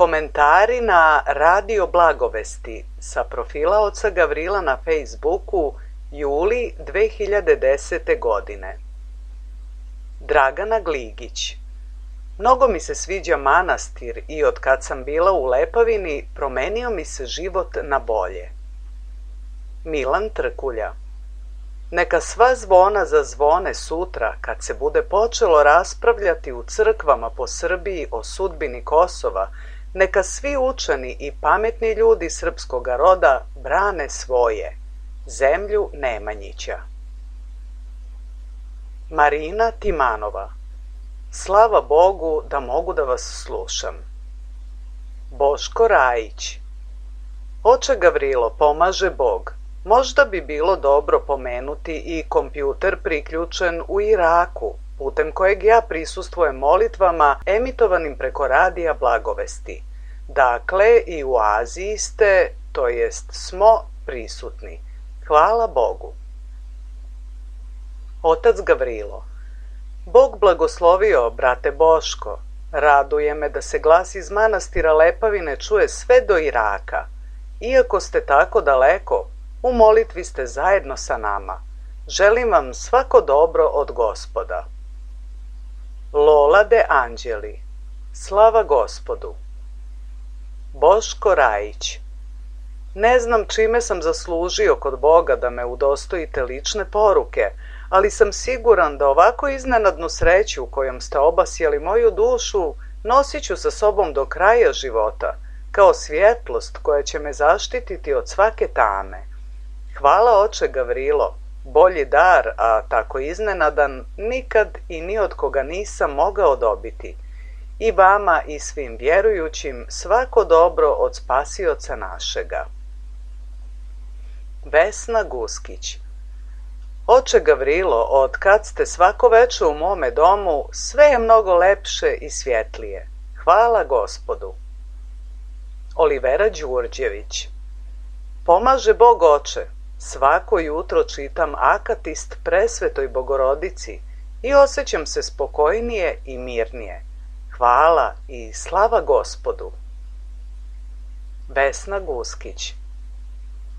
Komentari na Radio Blagovesti sa profila oca Gavrila na Facebooku juli 2010. godine. Dragana Gligić. Mnogo mi se sviđa manastir i od kad sam bila u Lepavini promenio mi se život na bolje. Milan Trkulja. Neka sva zvona zazvone sutra kad se bude počelo raspravljati u crkvama po Srbiji o sudbini Kosova, neka svi učeni i pametni ljudi srpskoga roda brane svoje, zemlju Nemanjića. Marina Timanova. Slava Bogu da mogu da vas slušam. Boško Rajić. Oče Gavrilo, pomaže Bog. Možda bi bilo dobro pomenuti i kompjuter priključen u Iraku, putem kojeg ja prisustvujem molitvama emitovanim preko Radija Blagovesti. Dakle, i u Aziji ste, to jest smo, prisutni. Hvala Bogu. Otac Gavrilo. Bog blagoslovio, brate Boško. Raduje me da se glas iz manastira Lepavine čuje sve do Iraka. Iako ste tako daleko, u molitvi ste zajedno sa nama. Želim vam svako dobro od Gospoda. Lola de Anđeli. Slava Gospodu. Boško Rajić. Ne znam čime sam zaslužio kod Boga da me udostojite lične poruke, ali sam siguran da ovako iznenadnu sreću kojom ste obasjali moju dušu nosit ću sa sobom do kraja života, kao svjetlost koja će me zaštititi od svake tame. Hvala oče Gavrilo, bolji dar, a tako iznenadan, nikad i ni od koga nisam mogao dobiti. I vama i svim vjerujućim svako dobro od Spasioca našega. Vesna Guskić. Oče Gavrilo, od kad ste svako večer u mome domu, sve je mnogo lepše i svjetlije. Hvala Gospodu. Olivera Đurđević. Pomaže Bog oče. Svako jutro čitam akatist Presvetoj Bogorodici i osjećam se spokojnije i mirnije. Hvala i slava Gospodu. Vesna Guskić.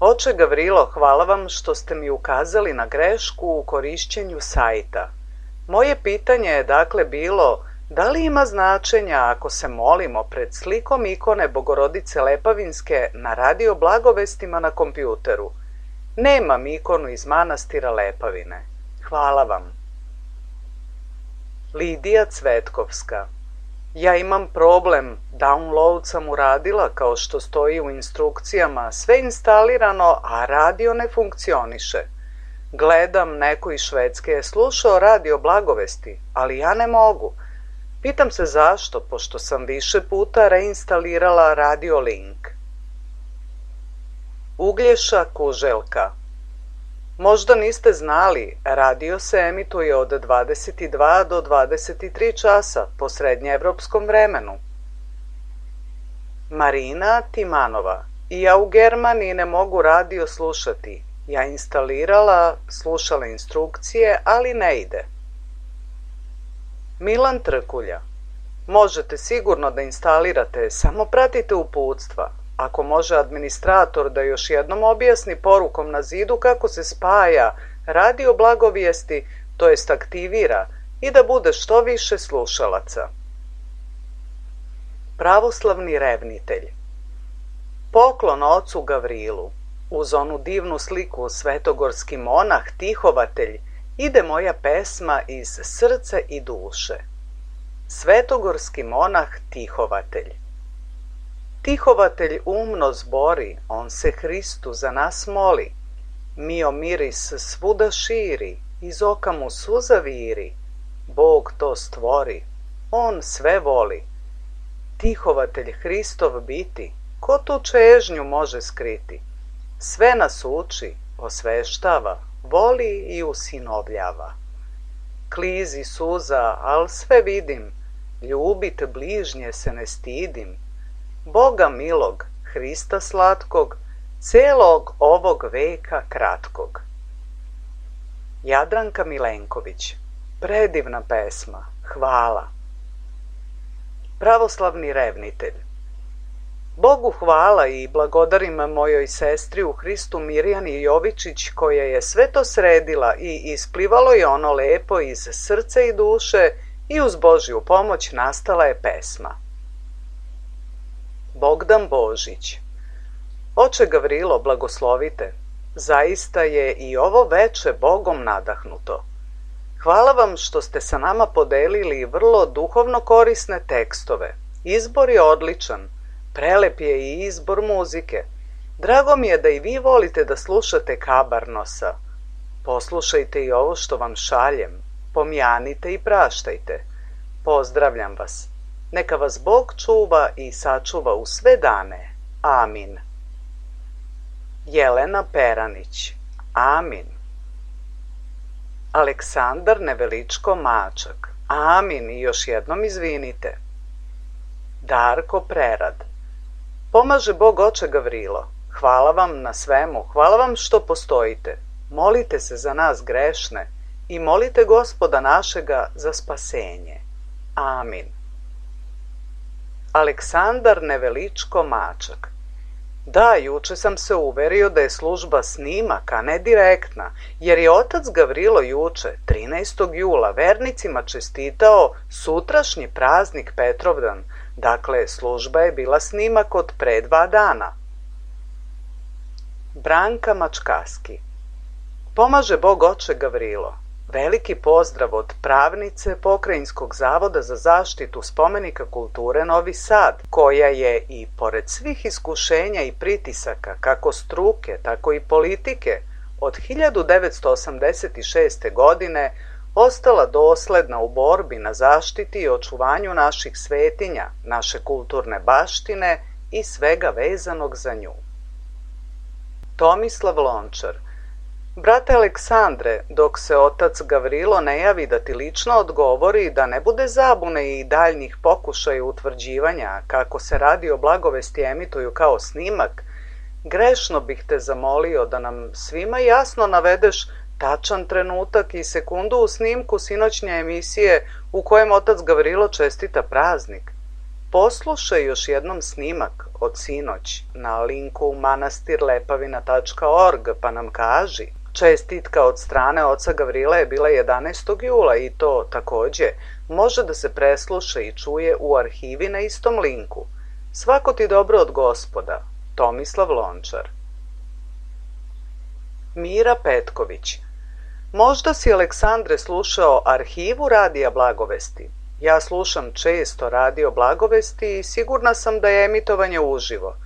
Oče Gavrilo, hvala vam što ste mi ukazali na grešku u korišćenju sajta. Moje pitanje je dakle bilo, da li ima značenja ako se molimo pred slikom ikone Bogorodice Lepavinske na Radio Blagovestima na kompjuteru? Nemam ikonu iz manastira Lepavine. Hvala vam. Lidija Cvetkovska. Ja imam problem, download sam uradila kao što stoji u instrukcijama, sve instalirano, a radio ne funkcioniše. Gledam, neko iz Švedske je slušao Radio Blagovesti, ali ja ne mogu. Pitam se zašto, pošto sam više puta reinstalirala Radio Link. Uglješa Kuželka. Možda niste znali, radio se emituje od 22 do 23 časa po srednjeevropskom vremenu. Marina Timanova. I ja u Germaniji ne mogu radio slušati. Ja instalirala, slušala instrukcije, ali ne ide. Milan Trkulja. Možete sigurno da instalirate, samo pratite uputstva. Ako može administrator da još jednom objasni porukom na zidu kako se spaja Radio Blagovijesti, to jest aktivira, i da bude što više slušalaca. Pravoslavni revnitelj. Poklon ocu Gavrilu. Uz onu divnu sliku svetogorski monah Tihovatelj ide moja pesma iz srca i duše. Svetogorski monah Tihovatelj. Tihovatelj umno zbori, on se Hristu za nas moli. Mio miris svuda širi, iz oka mu suza viri. Bog to stvori, on sve voli. Tihovatelj Hristov biti, ko tu čežnju može skriti? Sve nas uči, osveštava, voli i usinovljava. Klizi suza, al sve vidim, ljubit bližnje se ne stidim. Boga milog, Hrista slatkog, celog ovog veka kratkog. Jadranka Milenković. Predivna pesma, hvala. Pravoslavni revnitelj. Bogu hvala i blagodarim mojoj sestri u Hristu Mirjani Jovičić koja je sve to sredila i isplivalo je ono lepo iz srca i duše i uz Božju pomoć nastala je pesma. Bogdan Božić. Oče Gavrilo, blagoslovite, zaista je i ovo veče Bogom nadahnuto. Hvala vam što ste sa nama podelili vrlo duhovno korisne tekstove. Izbor je odličan, prelep je i izbor muzike. Drago mi je da i vi volite da slušate Kabarnosa. Poslušajte i ovo što vam šaljem, pomjanite i praštajte. Pozdravljam vas. Neka vas Bog čuva i sačuva u sve dane. Amin. Jelena Peranić. Amin. Aleksandar Neveličko Mačak. Amin i još jednom izvinite. Darko Prerad. Pomaže Bog oče Gavrilo. Hvala vam na svemu, hvala vam što postojite. Molite se za nas grešne i molite Gospoda našega za spasenje. Amin. Aleksandar Neveličko Mačak. Da, juče sam se uverio da je služba snimak, a ne direktna, jer je otac Gavrilo juče, 13. jula, vernicima čestitao sutrašnji praznik Petrovdan. Dakle, služba je bila snimak od pre 2 dana. Branka Mačkaski. Pomaže Bog oče Gavrilo. Veliki pozdrav od pravnice Pokrajinskog zavoda za zaštitu spomenika kulture Novi Sad, koja je i pored svih iskušenja i pritisaka, kako struke, tako i politike, od 1986. godine ostala dosledna u borbi na zaštiti i očuvanju naših svetinja, naše kulturne baštine i svega vezanog za nju. Tomislav Lončar. Brate Aleksandre, dok se otac Gavrilo ne javi da ti lično odgovori, da ne bude zabune i daljnjih pokušaja utvrđivanja kako se radi o blagovesti emituju kao snimak, grešno bih te zamolio da nam svima jasno navedeš tačan trenutak i sekundu u snimku sinoćnje emisije u kojem otac Gavrilo čestita praznik. Poslušaj još jednom snimak od sinoć na linku manastirlepavina.org pa nam kaži. Čestitka od strane oca Gavrila je bila 11. jula i to takođe može da se presluša i čuje u arhivi na istom linku. Svako ti dobro od Gospoda. Tomislav Lončar. Mira Petković. Možda si, Aleksandre, slušao arhivu Radija Blagovesti. Ja slušam često Radio Blagovesti i sigurna sam da je emitovanje uživo.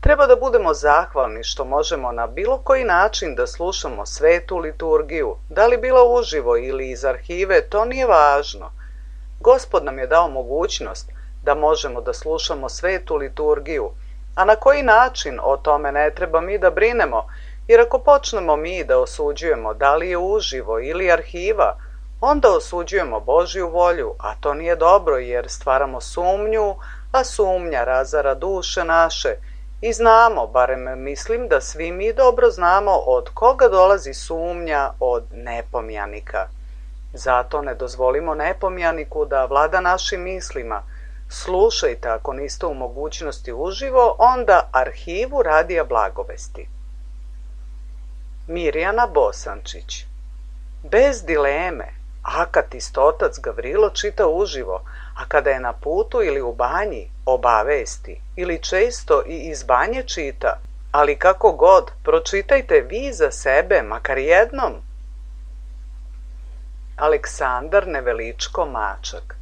Treba da budemo zahvalni što možemo na bilo koji način da slušamo svetu liturgiju. Da li bila uživo ili iz arhive, to nije važno. Gospod nam je dao mogućnost da možemo da slušamo svetu liturgiju, a na koji način o tome ne treba mi da brinemo, jer ako počnemo mi da osuđujemo da li je uživo ili arhiva, onda osuđujemo Božju volju, a to nije dobro jer stvaramo sumnju, a sumnja razara duše naše. I znamo, barem mislim da svi mi dobro znamo od koga dolazi sumnja, od nepomjanika. Zato ne dozvolimo nepomjaniku da vlada našim mislima. Slušajte ako niste u mogućnosti uživo, onda arhivu Radija Blagovesti. Mirjana Bosančić. Bez dileme, akatist otac Gavrilo čita uživo, a kada je na putu ili u banji, obavesti, ili često i iz banje čita, ali kako god, pročitajte vi za sebe, makar jednom. Aleksandar Neveličko Mačak.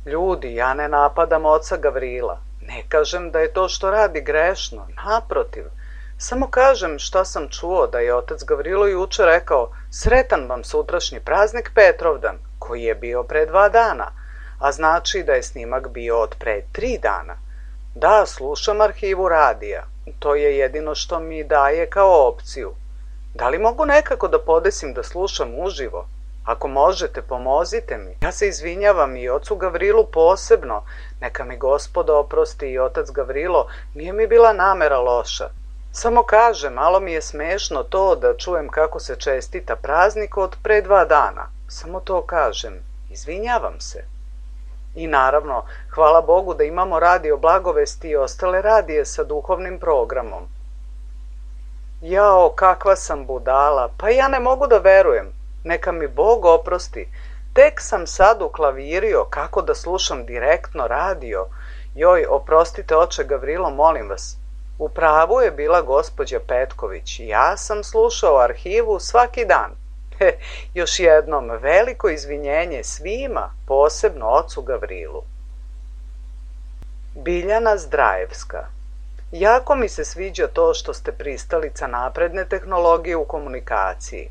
Ljudi, ja ne napadam oca Gavrila. Ne kažem da je to što radi grešno, naprotiv. Samo kažem šta sam čuo da je otac Gavrilo juče rekao sretan vam sutrašnji praznik Petrovdan, koji je bio pre 2 dana, a znači da je snimak bio od pre 3 dana. Da, slušam arhivu radija. To je jedino što mi daje kao opciju. Da li mogu nekako da podesim da slušam uživo? Ako možete, pomozite mi. Ja se izvinjavam i ocu Gavrilu posebno. Neka mi Gospod oprosti i otac Gavrilo, nije mi bila namera loša. Samo kažem, malo mi je smešno to da čujem kako se čestita praznik od pre 2 dana. Samo to kažem. Izvinjavam se. I naravno, hvala Bogu da imamo radio Blagovesti i ostale radije sa duhovnim programom. Jao, kakva sam budala, pa ja ne mogu da verujem. Neka mi Bog oprosti. Tek sam sad uklavirio kako da slušam direktno radio. Joj, oprostite oče Gavrilo, molim vas. U pravu je bila gospođa Petković. Ja sam slušao arhivu svaki dan. Još jednom, veliko izvinjenje svima, posebno ocu Gavrilu. Biljana Zdrajevska. Jako mi se sviđa to što ste pristalica napredne tehnologije u komunikaciji.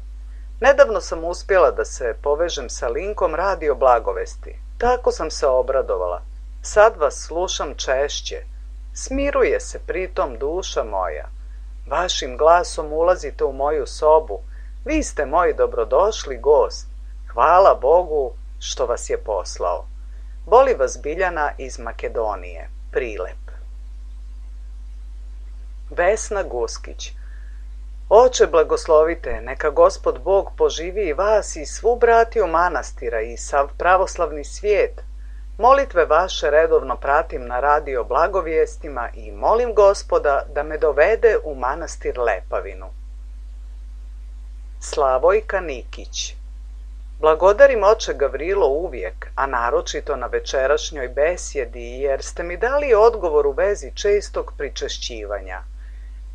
Nedavno sam uspjela da se povežem sa linkom Radio Blagovesti. Tako sam se obradovala. Sad vas slušam češće. Smiruje se pritom duša moja. Vašim glasom ulazite u moju sobu. Vi ste moj dobrodošli gost. Hvala Bogu što vas je poslao. Voli vas Biljana iz Makedonije. Prilep. Vesna Guskić. Oče blagoslovite, neka Gospod Bog poživi i vas i svu bratiju manastira i sav pravoslavni svijet. Molitve vaše redovno pratim na radio Blagovijestima i molim Gospoda da me dovede u manastir Lepavinu. Slavojka Nikić. Blagodarim oče Gavrilo uvijek, a naročito na večerašnjoj besjedi, jer ste mi dali odgovor u vezi čestog pričešćivanja.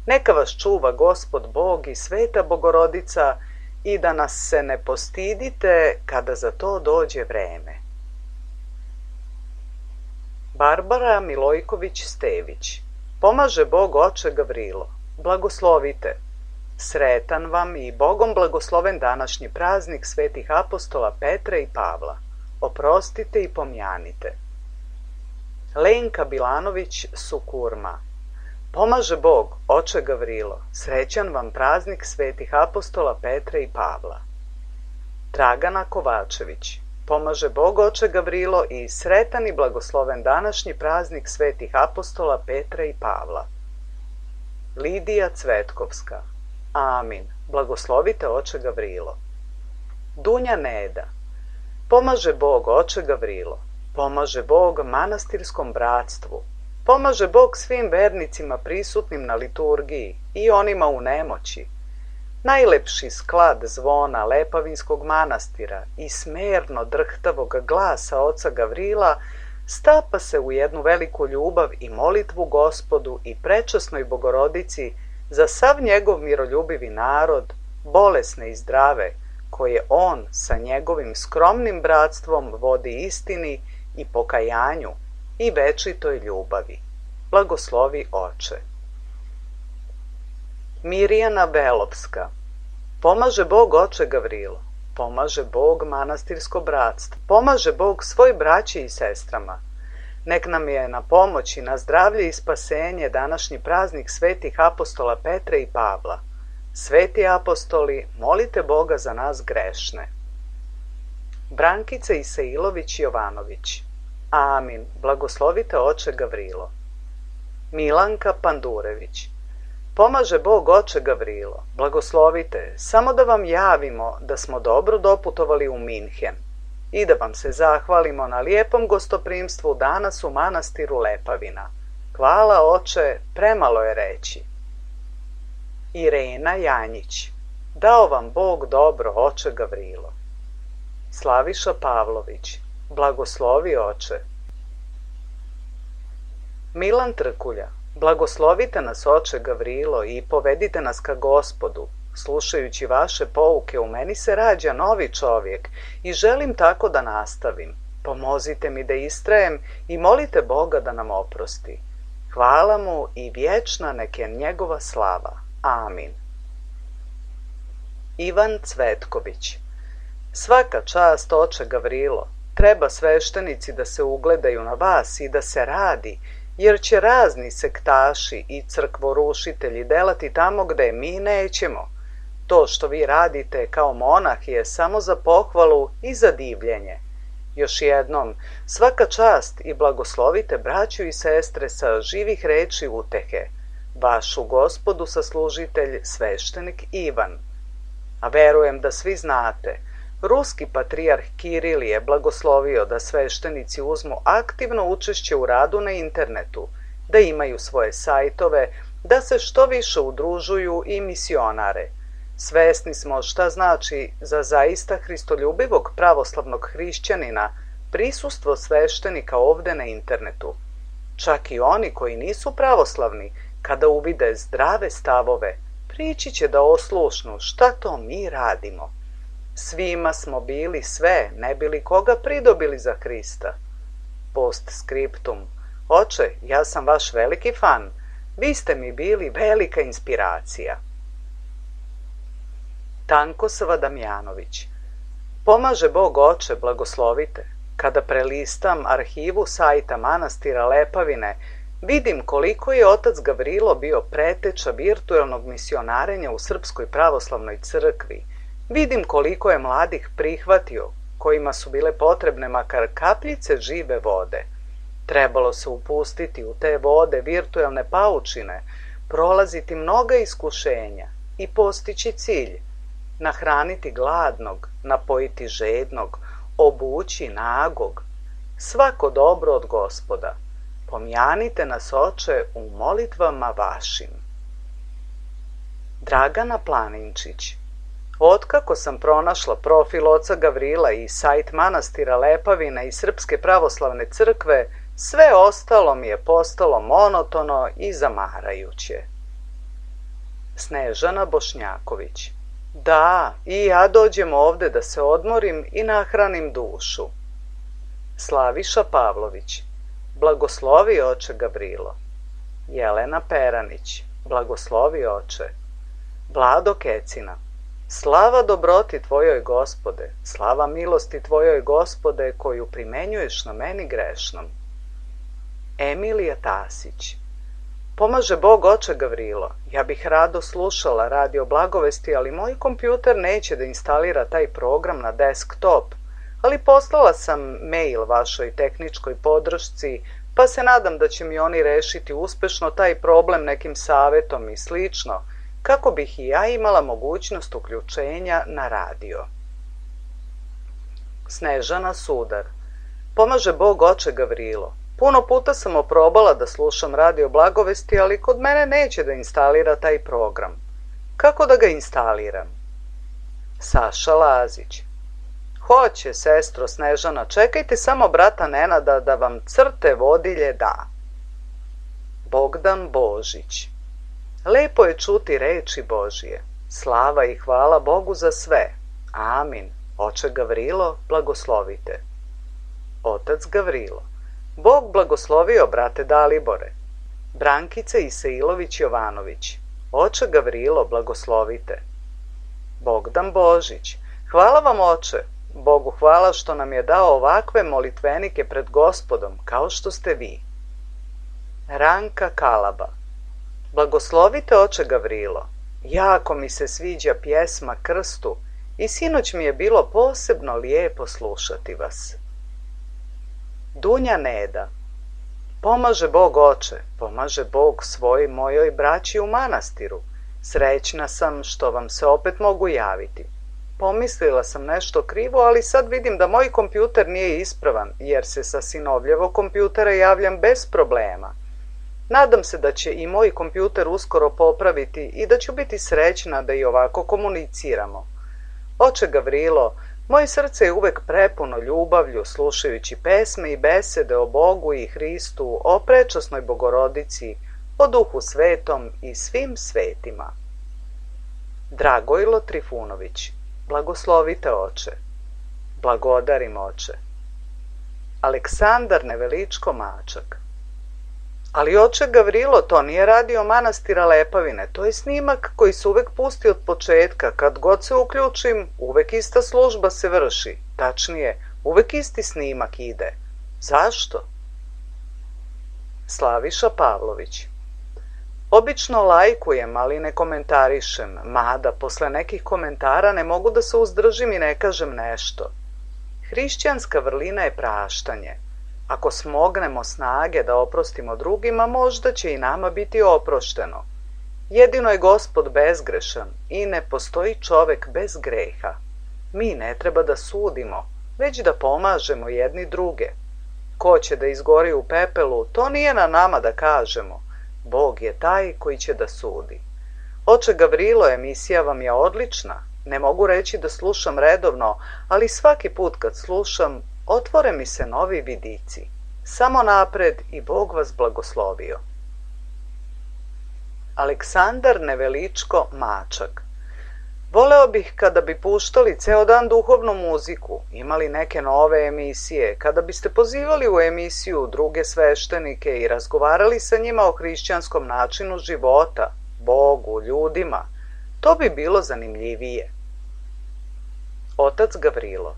Neka vas čuva Gospod Bog i Sveta Bogorodica i da nas se ne postidite kada za to dođe vreme. Barbara Milojković-Stević. Pomaže Bog oče Gavrilo. Blagoslovite. Sretan vam i Bogom blagosloven današnji praznik svetih apostola Petra i Pavla. Oprostite i pomjanite. Lenka Bilanović Sukurma. Pomaže Bog, oče Gavrilo, srećan vam praznik svetih apostola Petra i Pavla. Dragana Kovačević. Pomaže Bog, oče Gavrilo, i sretan i blagosloven današnji praznik svetih apostola Petra i Pavla. Lidija Cvetkovska. Amin. Blagoslovite oče Gavrilo. Dunja Neda. Pomaže Bog, oče Gavrilo. Pomaže Bog manastirskom bratstvu. Pomaže Bog svim vernicima prisutnim na liturgiji i onima u nemoći. Najlepši sklad zvona Lepavinskog manastira i smerno drhtavog glasa oca Gavrila stapa se u jednu veliku ljubav i molitvu Gospodu i prečasnoj Bogorodici za sav njegov miroljubivi narod, bolesne i zdrave, koje on sa njegovim skromnim bratstvom vodi istini i pokajanju i večitoj ljubavi. Blagoslovi oče. Mirjana Belovska. Pomaže Bog oče Gavrilo. Pomaže Bog manastirsko bratstvo. Pomaže Bog svoj braći i sestrama. Nek nam je na pomoć i na zdravlje i spasenje današnji praznik svetih apostola Petra i Pavla. Sveti apostoli, molite Boga za nas grešne. Brankica Isailović Jovanović. Amin. Blagoslovite oče Gavrilo. Milanka Pandurević. Pomaže Bog oče Gavrilo. Blagoslovite, samo da vam javimo da smo dobro doputovali u Minhen i da vam se zahvalimo na lijepom gostoprimstvu danas u manastiru Lepavina. Hvala oče, premalo je reći. Irena Janjić. Dao vam Bog dobro, oče Gavrilo. Slaviša Pavlović. Blagoslovi oče. Milan Trkulja. Blagoslovite nas oče Gavrilo i povedite nas ka Gospodu. Slušajući vaše pouke u meni se rađa novi čovjek i želim tako da nastavim. Pomozite mi da istrajem i molite Boga da nam oprosti. Hvala mu i vječna nek je njegova slava. Amin. Ivan Cvetković. Svaka čast oče Gavrilo. Treba sveštenici da se ugledaju na vas i da se radi, jer će razni sektaši i crkvorušitelji delati tamo gde mi nećemo. To što vi radite kao monah je samo za pohvalu i za divljenje. Još jednom, svaka čast i blagoslovite braću i sestre sa živih reči utehe. Vašu Gospodu saslužitelj sveštenik Ivan. A verujem da svi znate, Ruski patrijarh Kiril je blagoslovio da sveštenici uzmu aktivno učešće u radu na internetu, da imaju svoje sajtove, da se što više udružuju i misionare. Svesni smo šta znači za zaista hristoljubivog pravoslavnog hrišćanina prisustvo sveštenika ovde na internetu. Čak i oni koji nisu pravoslavni, kada uvide zdrave stavove, prići će da oslušnu šta to mi radimo. Svima smo bili sve, ne bili koga pridobili za Hrista. Postscriptum. Oče, ja sam vaš veliki fan. Vi ste mi bili velika inspiracija. Tankosava Damjanović. Pomaže Bog oče, blagoslovite. Kada prelistam arhivu sajta manastira Lepavine, vidim koliko je otac Gavrilo bio preteča virtuelnog misionarenja u Srpskoj pravoslavnoj crkvi. Vidim koliko je mladih prihvatio, kojima su bile potrebne makar kapljice žive vode. Trebalo se upustiti u te vode virtuelne paučine, prolaziti mnoga iskušenja i postići cilj. Nahraniti gladnog, napojiti žednog, obući nagog. Svako dobro od Gospoda. Pomjanite nas, oče, u molitvama vašim. Dragana Planinčić. Otkako sam pronašla profil oca Gavrila i sajt manastira Lepavina i Srpske pravoslavne crkve, sve ostalo mi je postalo monotono i zamarajuće. Snežana Bošnjaković. Da, i ja dođem ovde da se odmorim i nahranim dušu. Slaviša Pavlović. Blagoslovi oče Gavrilo. Jelena Peranić. Blagoslovi oče. Vlado Kecina. Slava dobroti tvojoj Gospode, slava milosti tvojoj Gospode koju primenjuješ na meni grešnom. Emilija Tasić. Pomaže Bog oče Gavrilo. Ja bih rado slušala radio blagovesti, ali moj kompjuter neće da instalira taj program na desktop, ali poslala sam mail vašoj tehničkoj podršci, pa se nadam da će mi oni rešiti uspešno taj problem nekim savetom i slično, kako bih i ja imala mogućnost uključenja na radio. Snežana Sudar. Pomaže Bog oče Gavrilo. Puno puta sam oprobala da slušam radio blagovesti, ali kod mene neće da instalira taj program. Kako da ga instaliram? Saša Lazić. Hoće, sestro Snežana, čekajte samo brata Nenada da vam crte vodilje da. Bogdan Božić. Lepo je čuti reči Božije. Slava i hvala Bogu za sve. Amin. Oče Gavrilo, blagoslovite. Otac Gavrilo. Bog blagoslovio, brate Dalibore. Brankica Isailović Jovanović. Oče Gavrilo, blagoslovite. Bogdan Božić. Hvala vam, oče. Bogu hvala što nam je dao ovakve molitvenike pred Gospodom, kao što ste vi. Ranka Kalaba. Blagoslovite oče Gavrilo. Jako mi se sviđa pjesma Krstu i sinoć mi je bilo posebno lijepo slušati vas. Dunja Neda. Pomaže Bog oče, pomaže Bog svoj mojoj braći u manastiru. Srećna sam što vam se opet mogu javiti. Pomislila sam nešto krivo, ali sad vidim da moj kompjuter nije ispravan, jer se sa sinovljevog kompjutera javljam bez problema. Nadam se da će i moj kompjuter uskoro popraviti i da ću biti srećna da i ovako komuniciramo. Oče Gavrilo, moje srce je uvek prepuno ljubavlju, slušajući pesme i besede o Bogu i Hristu, o prečasnoj Bogorodici, o Duhu Svetom i svim svetima. Dragojlo Trifunović. Blagoslovite oče. Blagodarim oče. Aleksandar Neveličko Mačak. Ali oče Gavrilo, to nije radio manastira Lepavine, to je snimak koji se uvek pusti od početka. Kad god se uključim, uvek ista služba se vrši. Tačnije, uvek isti snimak ide. Zašto? Slaviša Pavlović. Obično lajkujem, ali ne komentarišem, mada posle nekih komentara ne mogu da se uzdržim i ne kažem nešto. Hrišćanska vrlina je praštanje. Ako smognemo snage da oprostimo drugima, možda će i nama biti oprošteno. Jedino je Gospod bezgrešan i ne postoji čovek bez greha. Mi ne treba da sudimo, već da pomažemo jedni druge. Ko će da izgori u pepelu, to nije na nama da kažemo. Bog je taj koji će da sudi. Oče Gavrilo, emisija vam je odlična. Ne mogu reći da slušam redovno, ali svaki put kad slušam, otvore mi se novi vidici. Samo napred i Bog vas blagoslovio. Aleksandar Neveličko Mačak. Voleo bih kada bi puštali ceo dan duhovnu muziku, imali neke nove emisije, kada biste pozivali u emisiju druge sveštenike i razgovarali sa njima o hrišćanskom načinu života, Bogu, ljudima. To bi bilo zanimljivije. Otac Gavrilo.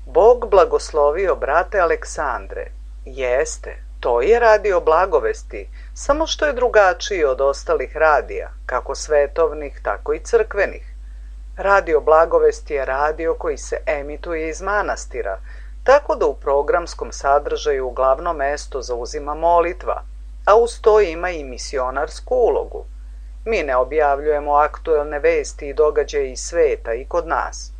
Bog blagoslovio brate Aleksandre. Jeste, to je radio Blagovesti, samo što je drugačiji od ostalih radija, kako svetovnih, tako i crkvenih. Radio Blagovesti je radio koji se emituje iz manastira, tako da u programskom sadržaju glavno mesto zauzima molitva, a uz to ima i misionarsku ulogu. Mi ne objavljujemo aktuelne vesti i događaje iz sveta i kod nas.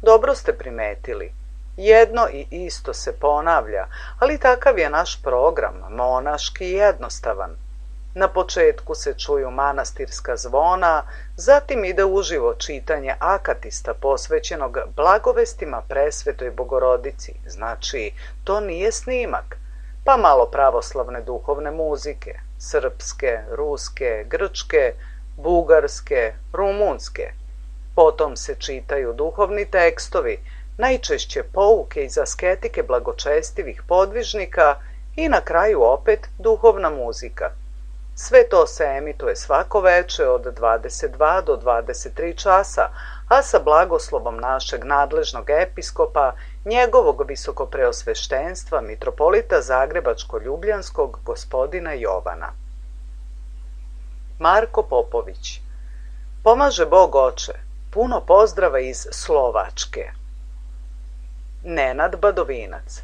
Dobro ste primetili. Jedno i isto se ponavlja, ali takav je naš program, monaški i jednostavan. Na početku se čuju manastirska zvona, zatim ide uživo čitanje akatista posvećenog blagovestima presvetoj Bogorodici, znači to nije snimak, pa malo pravoslavne duhovne muzike, srpske, ruske, grčke, bugarske, rumunske. Potom se čitaju duhovni tekstovi, najčešće pouke iz asketike blagočestivih podvižnika i na kraju opet duhovna muzika. Sve to se emituje svako veče od 22 do 23 časa, a sa blagoslovom našeg nadležnog episkopa, njegovog visokopreosveštenstva, mitropolita Zagrebačko-Ljubljanskog gospodina Jovana. Marko Popović. Pomaže Bog oče. Puno pozdrava iz Slovačke. Nenad Badovinac.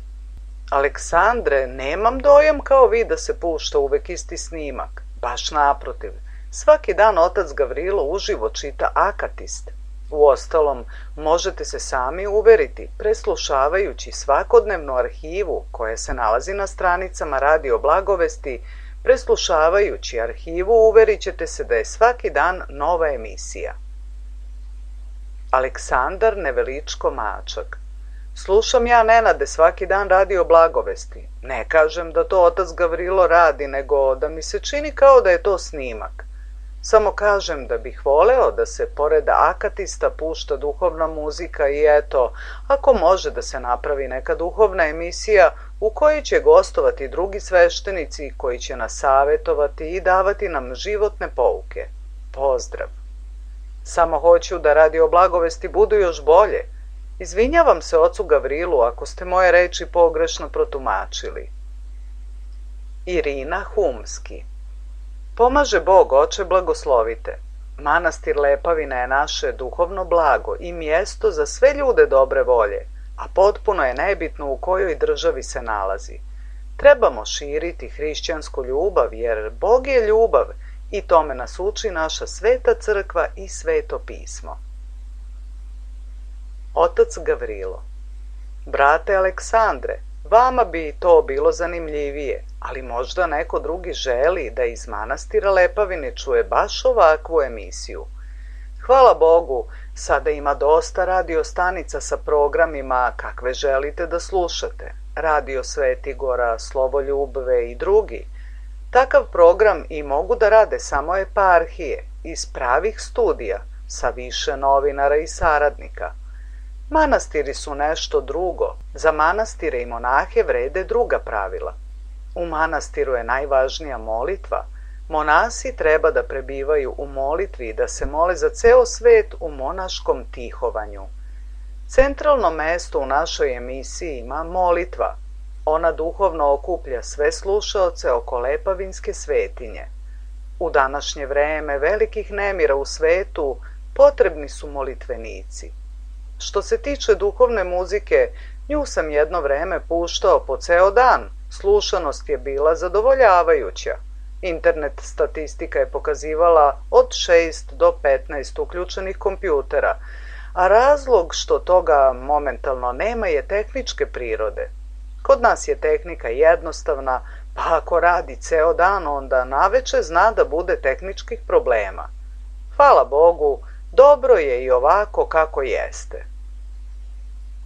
Aleksandre, nemam dojam kao vi da se pušta uvek isti snimak. Baš naprotiv. Svaki dan otac Gavrilo uživo čita akatist. Uostalom, možete se sami uveriti, preslušavajući svakodnevnu arhivu koja se nalazi na stranicama Radio Blagovesti, preslušavajući arhivu uverit ćete se da je svaki dan nova emisija. Aleksandar Neveličko Mačak. Slušam ja, Nenade, svaki dan Radio Blagovesti. Ne kažem da to otac Gavrilo radi, nego da mi se čini kao da je to snimak. Samo kažem da bih voleo da se pored akatista pušta duhovna muzika i eto, ako može da se napravi neka duhovna emisija u kojoj će gostovati drugi sveštenici koji će nas savetovati i davati nam životne pouke. Pozdrav! Samo hoću da Radio Blagovesti budu još bolje. Izvinjavam se ocu Gavrilu ako ste moje reči pogrešno protumačili. Irina Humski. Pomaže Bog, oče, blagoslovite. Manastir Lepavina je naše duhovno blago i mjesto za sve ljude dobre volje, a potpuno je nebitno u kojoj državi se nalazi. Trebamo širiti hrišćansku ljubav, jer Bog je ljubav i tome nas uči naša sveta crkva i sveto pismo. Otac Gavrilo. Brate Aleksandre, vama bi to bilo zanimljivije, ali možda neko drugi želi da iz manastira Lepavine čuje baš ovakvu emisiju. Hvala Bogu, sada ima dosta radio stanica sa programima kakve želite da slušate. Radio Svetigora, Slovo Ljubve i drugi. Takav program i mogu da rade samo eparhije, iz pravih studija, sa više novinara i saradnika. Manastiri su nešto drugo. Za manastire i monahe vrede druga pravila. U manastiru je najvažnija molitva. Monasi treba da prebivaju u molitvi i da se mole za ceo svet u monaškom tihovanju. Centralno mesto u našoj emisiji ima molitva. Ona duhovno okuplja sve slušaoce oko Lepavinske svetinje. U današnje vreme velikih nemira u svetu potrebni su molitvenici. Što se tiče duhovne muzike, nju sam jedno vreme puštao po ceo dan. Slušanost je bila zadovoljavajuća. Internet statistika je pokazivala od 6 do 15 uključenih kompjutera, a razlog što toga momentalno nema je tehničke prirode. Kod nas je tehnika jednostavna, pa ako radi ceo dan, onda naveče zna da bude tehničkih problema. Hvala Bogu, dobro je i ovako kako jeste.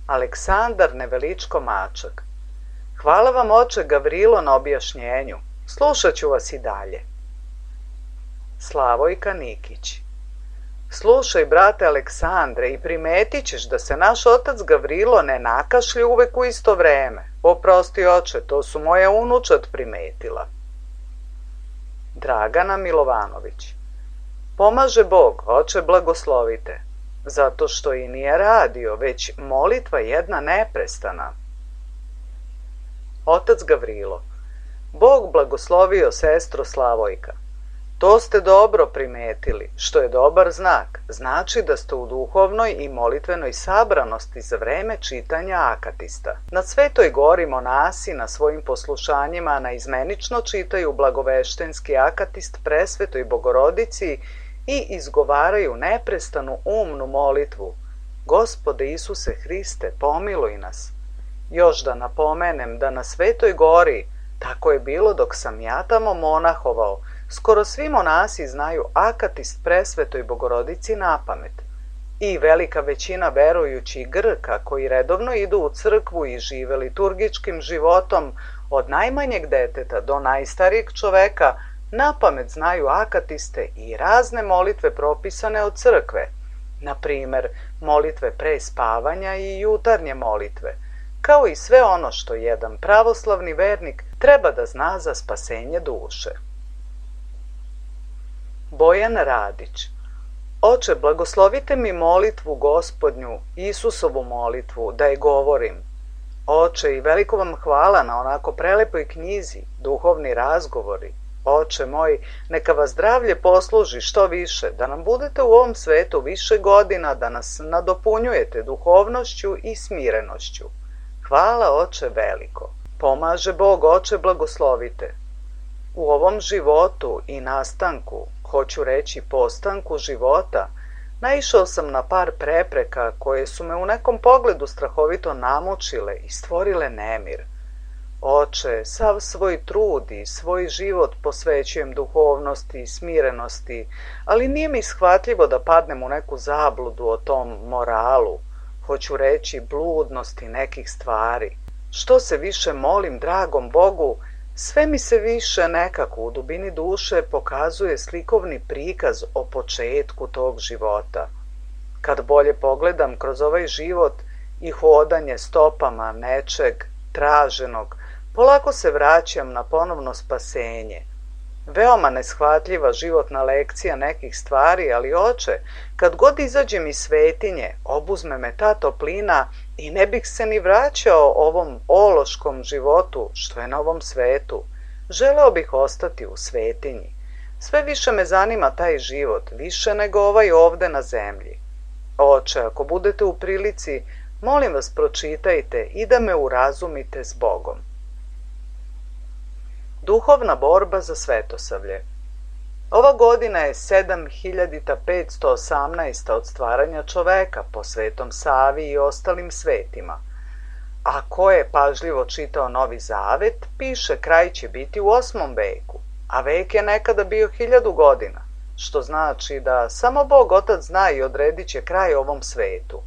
Aleksandar Neveličko Mačak. Hvala vam, oče Gavrilo, na objašnjenju. Slušat ću vas i dalje. Slavojka Nikić. Slušaj, brate Aleksandre, i primetit ćeš da se naš otac Gavrilo ne nakašlje uvek u isto vreme. Oprosti, oče, to su moje unučad primetila. Dragana Milovanović. Pomaže Bog, oče, blagoslovite, zato što i nije radio, već molitva jedna neprestana. Otac Gavrilo. Bog blagoslovio sestro Slavojka. To ste dobro primetili, što je dobar znak. Znači da ste u duhovnoj i molitvenoj sabranosti za vreme čitanja akatista. Na Svetoj gori monasi na svojim poslušanjima naizmenično čitaju blagoveštenski akatist Presvetoj Bogorodici i izgovaraju neprestanu umnu molitvu. Gospode Isuse Hriste, pomiluj nas. Još da napomenem da na Svetoj gori, tako je bilo dok sam ja tamo monahovao, skoro svi monasi znaju akatist Presvetoj Bogorodici napamet. I velika većina verujućih Grka koji redovno idu u crkvu i žive liturgičkim životom od najmanjeg deteta do najstarijeg čoveka napamet znaju akatiste i razne molitve propisane od crkve, na primer molitve pre spavanja i jutarnje molitve, kao i sve ono što jedan pravoslavni vernik treba da zna za spasenje duše. Bojan Radić. Oče, blagoslovite mi molitvu Gospodnju, Isusovu molitvu, da je govorim. Oče, i veliko vam hvala na onako prelepoj knjizi, duhovni razgovori. Oče moj, neka vas zdravlje posluži što više, da nam budete u ovom svetu više godina, da nas nadopunjujete duhovnošću i smirenošću. Hvala, oče veliko. Pomaže Bog, oče, blagoslovite. U ovom životu i nastanku, hoću reći postanku života, naišao sam na par prepreka koje su me u nekom pogledu strahovito namučile i stvorile nemir. Oče, sav svoj trud i svoj život posvećujem duhovnosti i smirenosti, ali nije mi shvatljivo da padnem u neku zabludu o tom moralu, hoću reći bludnosti nekih stvari. Što se više molim dragom Bogu, sve mi se više nekako u dubini duše pokazuje slikovni prikaz o početku tog života. Kad bolje pogledam kroz ovaj život i hodanje stopama nečeg traženog, polako se vraćam na ponovno spasenje. Veoma neshvatljiva životna lekcija nekih stvari, ali oče, kad god izađem iz svetinje, obuzme me ta toplina i ne bih se ni vraćao ovom ološkom životu što je na ovom svetu. Želeo bih ostati u svetinji. Sve više me zanima taj život, više nego ovaj ovde na zemlji. Oče, ako budete u prilici, molim vas pročitajte i da me urazumite s Bogom. Duhovna borba za svetosavlje. Ova godina je 7518. od stvaranja čoveka po Svetom Savi i ostalim svetima. A ko je pažljivo čitao Novi Zavet, piše kraj će biti u 8. veku, a vek je nekada bio 1000 godina, što znači da samo Bog Otac zna i odredit će kraj ovom svetu.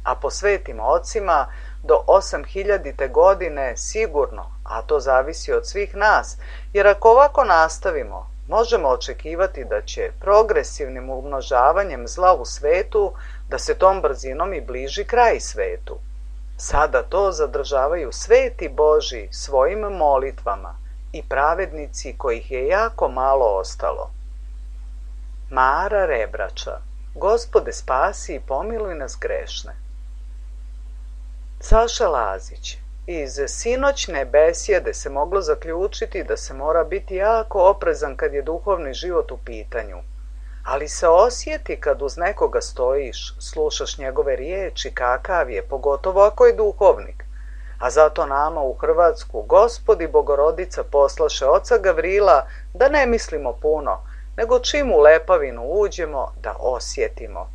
A po svetim ocima do 8000. godine sigurno, a to zavisi od svih nas, jer ako ovako nastavimo, možemo očekivati da će progresivnim umnožavanjem zla u svetu da se tom brzinom i bliži kraj svetu. Sada to zadržavaju sveti Boži svojim molitvama i pravednici kojih je jako malo ostalo. Mara Rebrača. Gospode, spasi i pomiluj nas grešne. Saša Lazić. Iz sinoćne besjede se moglo zaključiti da se mora biti jako oprezan kad je duhovni život u pitanju. Ali se osjeti kad uz nekoga stojiš, slušaš njegove riječi kakav je, pogotovo ako je duhovnik. A zato nama u Hrvatsku Gospod i Bogorodica poslaše oca Gavrila da ne mislimo puno, nego čim u Lepavinu uđemo da osjetimo.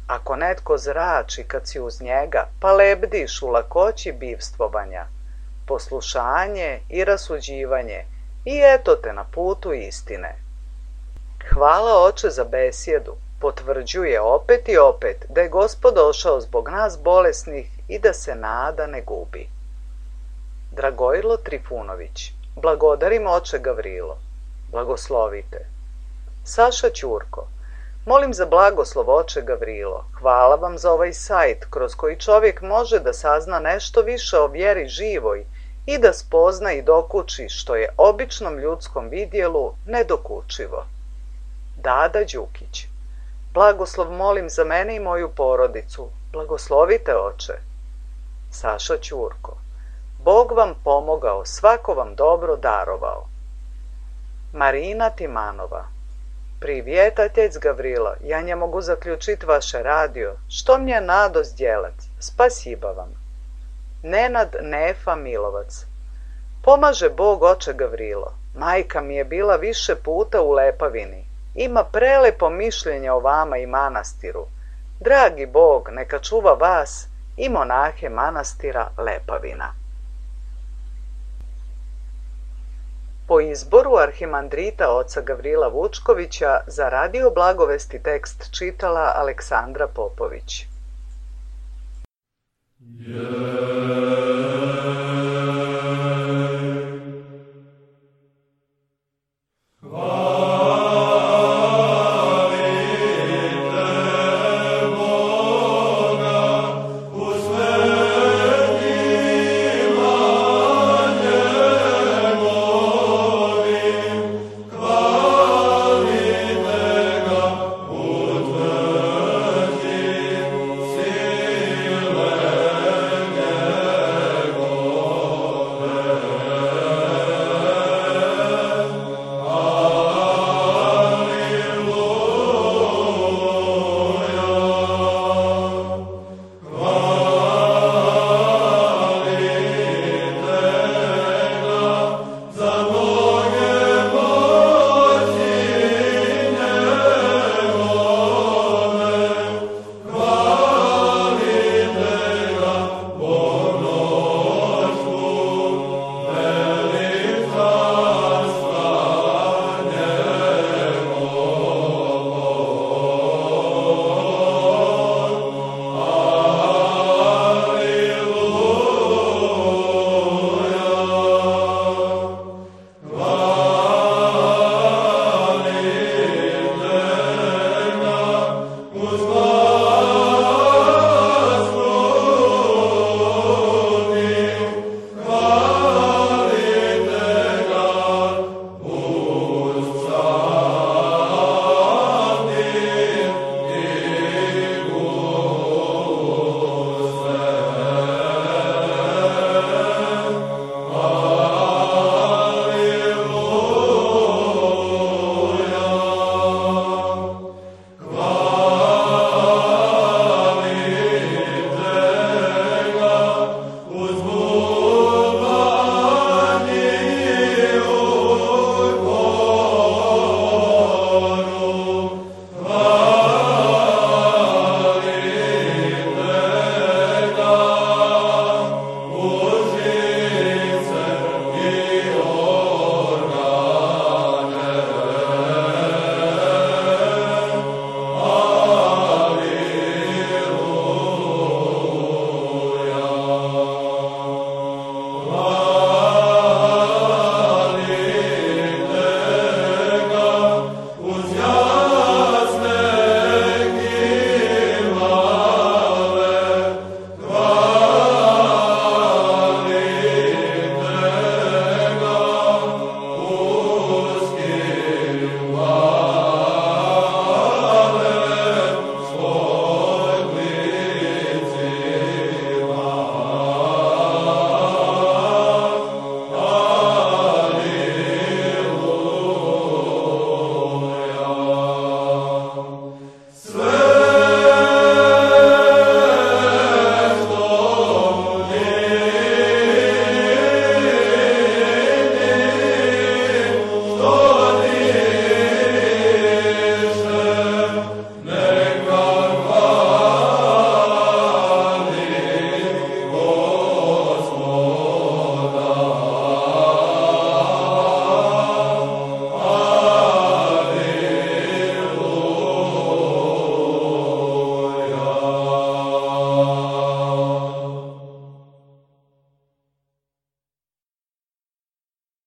Ako netko zrači kad si uz njega, pa lebdiš u lakoći bivstvovanja, poslušanje i rasuđivanje, i eto te na putu istine. Hvala Oče za besjedu, potvrđuje opet i opet da je Gospod došao zbog nas bolesnih i da se nada ne gubi. Dragojlo Trifunović, blagodarim Oče Gavrilo, blagoslovite. Saša Ćurko, molim za blagoslov Oče Gavrilo, hvala vam za ovaj sajt kroz koji čovjek može da sazna nešto više o vjeri živoj i da spozna i dokuči što je običnom ljudskom vidjelu nedokučivo. Dada Đukić, blagoslov molim za mene i moju porodicu, blagoslovite Oče. Saša Ćurko, Bog vam pomogao, svako vam dobro darovao. Marina Timanova, Привет, отец Гаврила, я не могу заключить ваше радио. Что мне надо сделать? Спасибо вам. Nenad Nefa Milovac, pomaže Bog Oče Gavrilo. Majka mi je bila više puta u Lepavini. Ima prelepo mišljenje o vama i manastiru. Dragi Bog, neka čuva vas i monahe manastira Lepavina. Po izboru arhimandrita oca Gavrila Vučkovića za Radio Blagovesti tekst čitala Aleksandra Popović. Yeah.